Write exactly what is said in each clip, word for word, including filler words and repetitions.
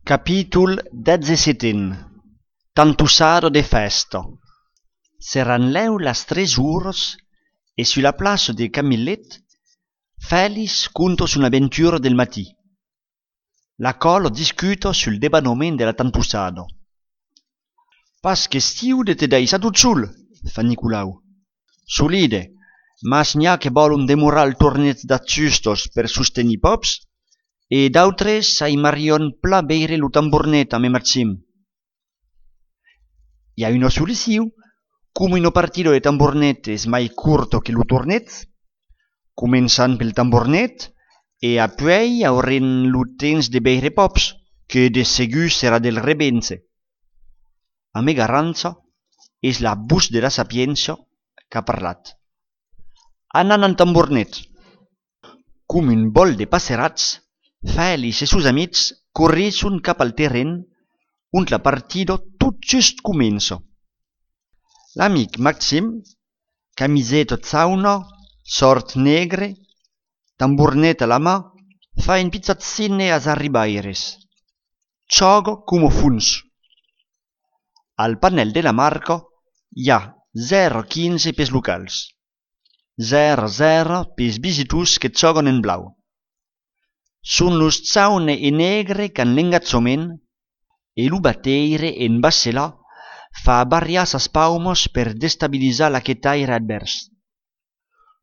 Capítol dètz-e-seten. Tantossada de fèsta. Seràn lèu las tres oras e sus la plaça de Camilhèt, Fèlix conta son aventura del matin. La còla discuta sul debanament de la tantossada. Pas question de te daissar tot sol, fa Nicolau. Solide, mas n'i a que vòlon demorar al torneig d'ajustas per sostenir Pòps, e d'autres aimarián plan veire lo tambornet amé Maxim. I a una solucion, coma una partida de tambornet es mai corta que lo torneig, començan pel tambornet e apuèi aurem lo temps de veire Pòps, que de segur serà del revenche. Amé Garrancha, es la votz de la sapiéncia qu'a parlat. Anam al tambornet. Coma un vòl de passerats, Fèlix e sos amics corrisson cap al terren ont la partida tot just comença. L'amic Maxim, camiseta jauna, shòrt negre, tambornet a la man, fa un pichat signe als arribaires. Jòga coma fons. Al panèl de la marca i a zèro quinze pels locals, zèro zèro pels visitors que jògan en blau. Son los jaune e negre qu'an l'engatjament e lo bataire en bacela fa barriar sas paumas per destabilizar l'aquetaire advèrs.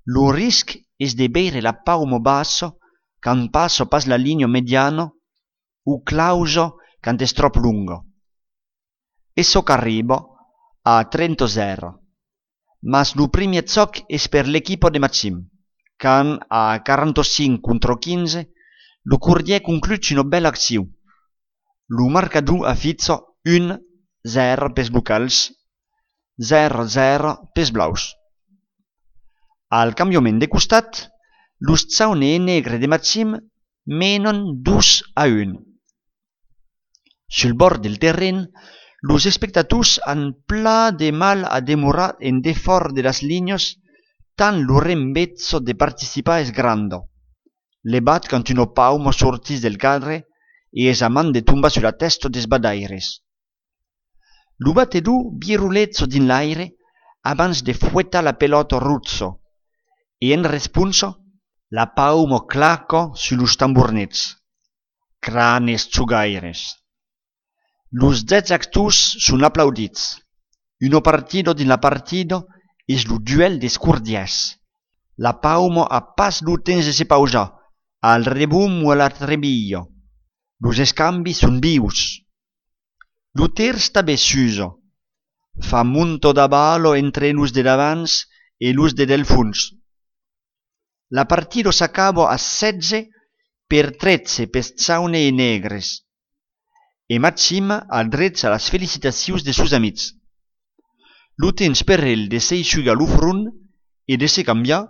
Lo risc es de veire la pauma bassa quand passa pas la linha mediana o clausa quand es tròp longa. E çò qu'arriba a trenta zèro. Mas lo primièr jòc es per l'equipa de Maxim, quand a quaranta-cinc contra quinze, lo cordièr conclut una bèla accion. Lo marcador aficha un zèro pels locals, zèro zèro pels blaus. Al cambiament de costat, los jaune e negre de Maxim menan dos a un. Sul bòrd del terren, los espectators an plan de mal a demorar en defòra de las linhas, tant lo rembeja de participar es granda. Levat quand una pauma sortís del cadre e es a man de tombar sus la tèsta dels bataires. Lo batedor viroleja dins l'aire abans de fuetar la pelòta roja e, en responsa, la pauma claca sus los tambornets. Cranes jogaires! Los dètz actors son aplaudits. Una partida dins la partida es lo duèl dels cordièrs. La pauma a pas lo temps de se pausar, al rebomb o a la trebilha. Los escambis son vius. Lo tèrç tanben s'usa. Fa montar d'abala entre los de davant e los de del fons. La partida s'acaba a setze per tretze pels jaune e negres. E Maxim adreça las felicitacions de sos amics. Lo temps per el de s'essugar lo front e de se cambiar,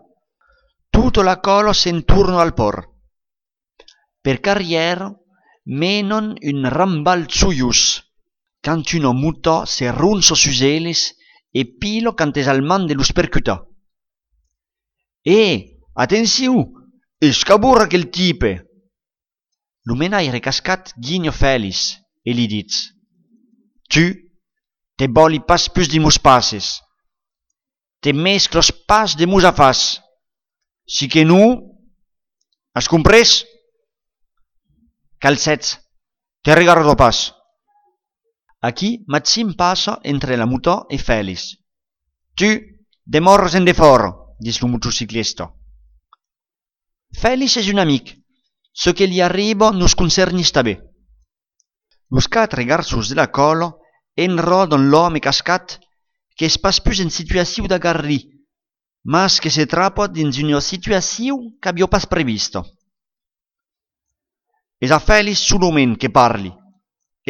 tota la còla se'n torna al pòrt. Per carrièra, menan un rambalh joiós, quand una mota se ronça sus eles e pila quand es al man de los percutar. E, atencion! Escabora aquel tipe! Lo menaire cascat guinha Fèlix e li ditz: Tu, te vòli pas pus dins mos passes. Te mesclas pas de mos afars. Si que non, as comprés? Calcèt, te regarda pas. Aquí, Maxim passa entre la mota e Fèlix. Tu, demòras en defòra, ditz lo motociclista. Fèlix es un amic. Çò que li arriba nos concernís tanben. Los quatre garçons de la còla enròdan l'òme cascat, qu'es pas pus en situacion d'agarrir, mas que se trapa dins una situacion qu'aviá pas prevista. Es a Fèlix solament que parli,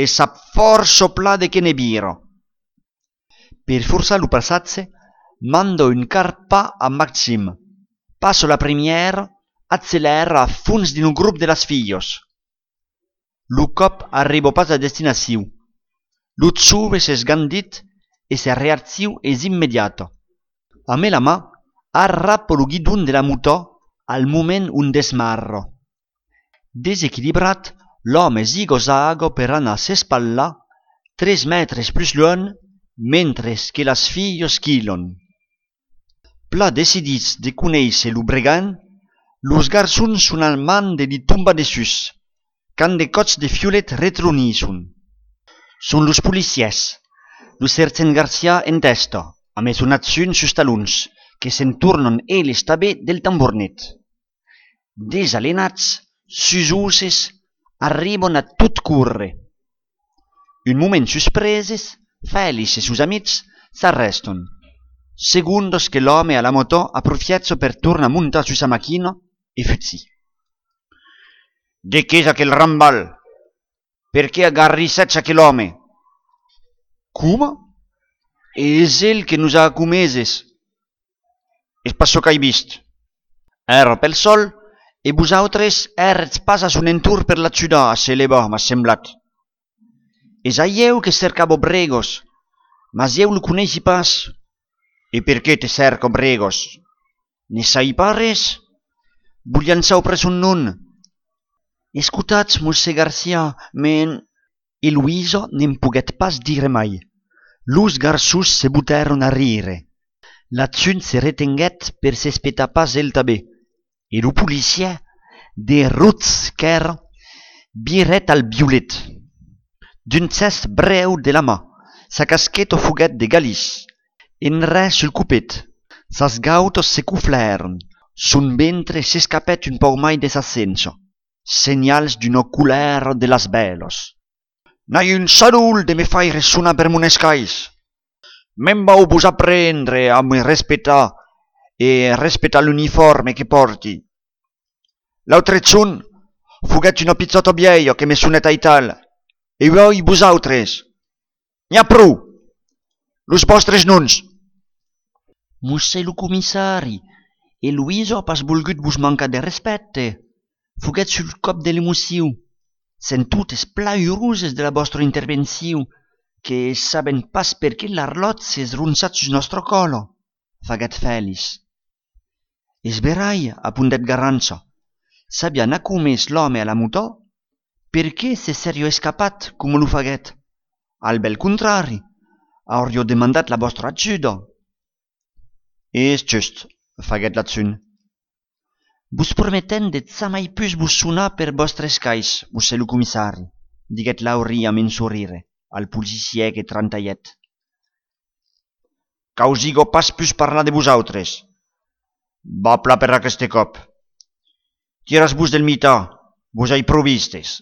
e sap fòrça plan de qué ne vira. Per forçar lo passatge, manda un quart pas a Maxim, passa la premièra, accelèra a fons dins lo grop de las filhas. Lo còp arriba pas a destinacion. Lo jove s'esgandit e sa reaccion es immediata. Amé la man, arrapa lo guidon de la mota al moment ont desmarra. Desequilibrat, L'òme zigozaga per anar s'espalar tres mètres plus luènh, mentre que las filhas quilhan. Plan decidits de conéisser lo bregant, los garçons son al mand de li tombar dessús, quand de còps de fiolet retronisson. Son los policièrs. Lo sergent Garcia en tèsta, amb son adjunt sus talons, que se'n tornan eles tanben del tambornet. Desalenats, susoses, arriban a tot córrer. Un moment suspreses, Fèlix e sos amics s'arrèstan. Segondas que l'òme a la motò aprofiècha per tornar montar sus sa maquina e fugir. De qu'es aquel rambalh? Perqué agarrissètz aquel òme? Coma? Es el que nos a comeses. Es pas çò qu'ai vist. Èra pel sòl, e vosautres èretz pas a son entorn per l'ajudar a se levar, m'a semblat. Es a ieu que cercava Bregos, mas ieu lo coneissi pas. E perqué te cerca Bregos? Ne sai pas res. Volián saupre son nom. Escotatz, mossèr Garcia, me... E Luisa ne'n poguèt pas dire mai. Los garçons se botèron a rire. L'adjunt se retenguèt per s'espetar pas el tanben. E lo policièr, de roig qu'èra, virèt al violet. D'un gèst brèu de la man, sa casqueta foguèt de galís, en res sul copet. Sas gautas se coflèron, son ventre s'escapèt un pauc mai de sa cencha, senhals d'una colèra de las bèlas. N'ai un sadol de me faire sonar per mon escais. Me'n vau vos aprendre a me respectar e respectar l'uniforme que pòrti. L'autre jorn, foguèt una pichòta vièlha que me sonèt aital, e uèi vosautres. N'i a pro! Los vòstres noms! Mossèr lo comissari, Eloïsa a pas volgut vos mancar de respècte. Foguèt sul còp de l'emocion. Sèm totes plan uroses de la vòstra intervencion, que sabèm pas perqué l'arlòtge s'es ronçat sus nòstra còla, faguèt Fèlix. Es verai, apondèt Garrancha, s'aviá nacomés l'òme a la motò, perqué se seriá escapat coma lo faguèt? Al bèl contrari, auriá demandat la vòstra ajuda. Es just, faguèt l'adjunt. Vos prometèm de jamai pus vos sonar per vòstre escais, mossèr lo comissari, diguèt Laurí amb un sorire al policièr que trantalhèt. Qu'ausiga pas pus parlar de vosautres. Va plan per aqueste còp. Tiratz-vos del mitan, vos ai pro vistes.